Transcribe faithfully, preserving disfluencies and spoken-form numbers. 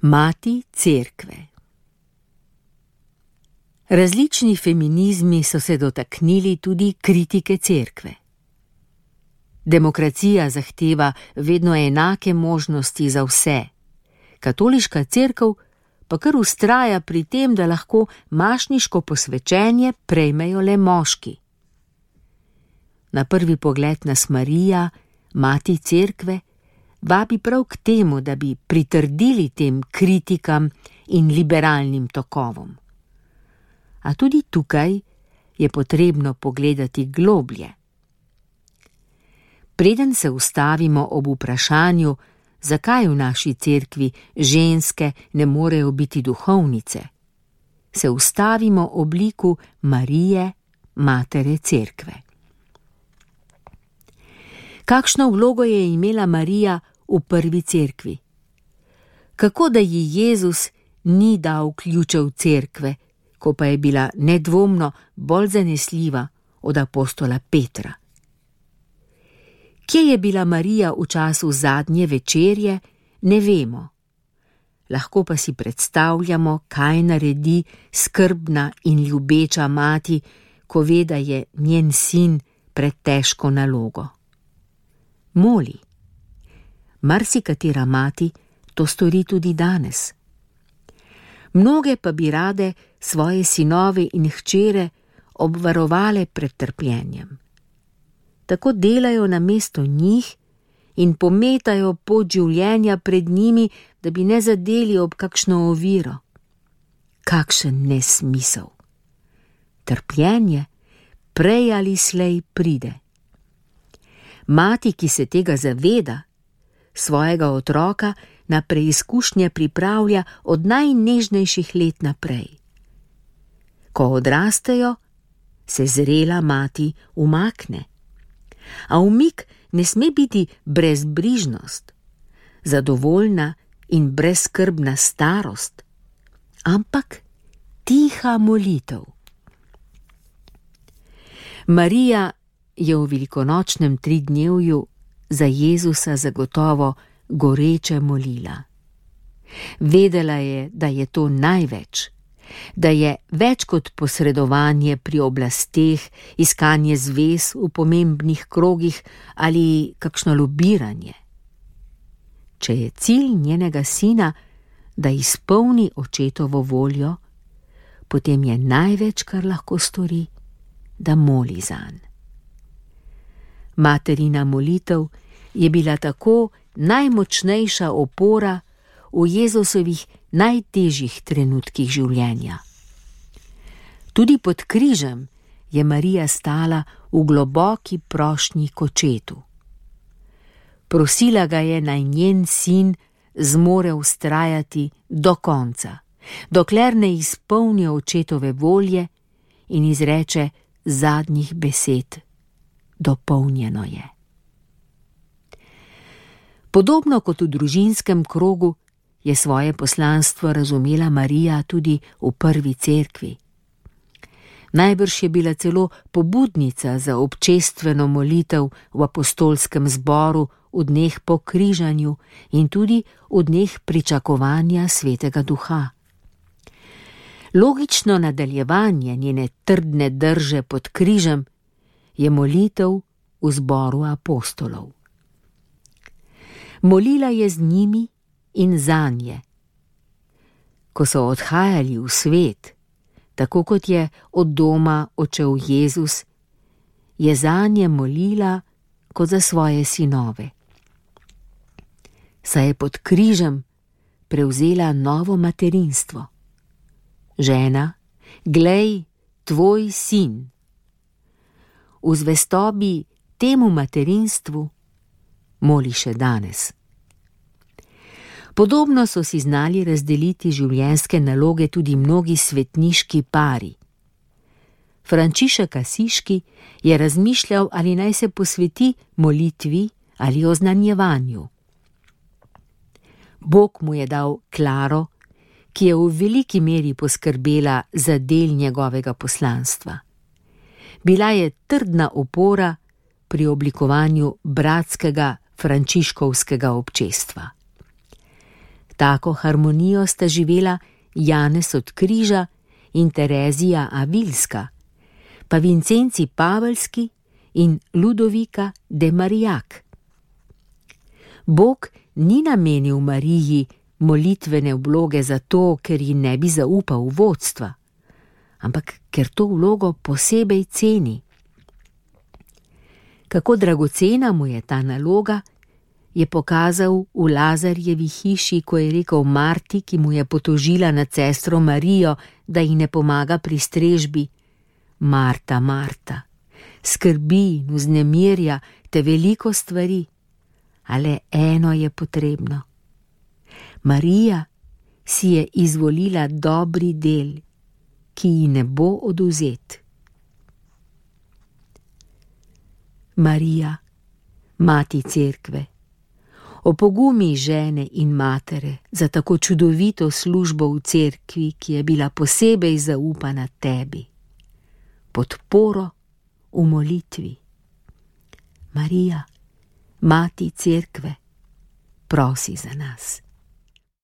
Mati cerkve. Različni feminizmi so se dotaknili tudi kritike cerkve. Demokracija zahteva vedno enake možnosti za vse. Katoliška cerkev pa kar vztraja pri tem, da lahko mašniško posvečenje prejmejo le moški. Na prvi pogled nas Marija, mati cerkve, vabi prav k temu, da bi pritrdili tem kritikam in liberalnim tokovom. A tudi tukaj je potrebno pogledati globlje. Preden se ustavimo ob vprašanju, zakaj v naši cerkvi ženske ne morejo biti duhovnice, se ustavimo ob liku Marije, matere cerkve. Kakšno vlogo je imela Marija v prvi cerkvi? Kako da ji Jezus ni dal ključev cerkve, ko pa je bila nedvomno bolj zanesljiva od apostola Petra? Kje je bila Marija v času zadnje večerje, ne vemo. Lahko pa si predstavljamo, kaj naredi skrbna in ljubeča mati, ko ve, da je njen sin pred težko nalogo. Moli. Marsikatera mati to stori tudi danes. Mnoge pa bi rade svoje sinove in hčere obvarovale pred trpljenjem. Tako delajo namesto njih in pometajo pot življenja pred njimi, da bi ne zadeli ob kakšno oviro. Kakšen nesmisel! Trpljenje prej ali slej pride. Mati, ki se tega zaveda, svojega otroka na preizkušnje pripravlja od najnežnejših let naprej. Ko odrastejo, se zrela mati umakne. A umik ne sme biti brezbrižnost, zadovoljna in brezskrbna starost, ampak tiha molitev. Marija je v velikonočnem tridnevju za Jezusa zagotovo goreče molila. Vedela je, da je to največ, da je več kot posredovanje pri oblasteh, iskanje zvez v pomembnih krogih ali kakšno lobiranje. Če je cilj njenega sina, da izpolni očetovo voljo, potem je največ, kar lahko stori, da moli zanj. Materina molitev je bila tako najmočnejša opora v Jezusovih najtežjih trenutkih življenja. Tudi pod križem je Marija stala v globoki prošnji k očetu. Prosila ga je, naj njen sin zmore vztrajati do konca, dokler ne izpolni očetove volje in izreče zadnjih besed: dopolnjeno je. Podobno kot v družinskem krogu je svoje poslanstvo razumela Marija tudi v prvi cerkvi. Najbrž je bila celo pobudnica za občestveno molitev v apostolskem zboru v dneh po križanju in tudi v dneh pričakovanja Svetega Duha. Logično nadaljevanje njene trdne drže pod križem je molitev v zboru apostolov. Molila je z njimi in zanje. Ko so odhajali v svet, tako kot je od doma odšel Jezus, je zanje molila kot za svoje sinove. Saj je pod križem prevzela novo materinstvo. Žena, glej, tvoj sin. V zvestobi temu materinstvu moli še danes. Podobno so si znali razdeliti življenjske naloge tudi mnogi svetniški pari. Frančišek Asiški je razmišljal, ali naj se posveti molitvi ali oznanjevanju. Bog mu je dal Klaro, ki je v veliki meri poskrbela za del njegovega poslanstva. Bila je trdna opora pri oblikovanju bratskega frančiškovskega občestva. Tako harmonijo sta živela Janez od Križa in Terezija Avilska, pa Vincenci Pavelski in Ludovika de Marillac. Bog ni namenil Mariji molitvene vloge zato, ker ji ne bi zaupal vodstva, ampak ker to vlogo posebej ceni. Kako dragocena mu je ta naloga, je pokazal v Lazarjevi hiši, ko je rekel Marti, ki mu je potožila nad sestro Marijo, da ji ne pomaga pri strežbi: Marta, Marta, skrbi in vznemirja te veliko stvari, a le eno je potrebno. Marija si je izvolila dobri del, ki ji ne bo odvzet. Marija, mati cerkve, opogumi žene in matere za tako čudovito službo v cerkvi, ki je bila posebej zaupana tebi. Podporo v molitvi. Marija, mati cerkve, prosi za nas.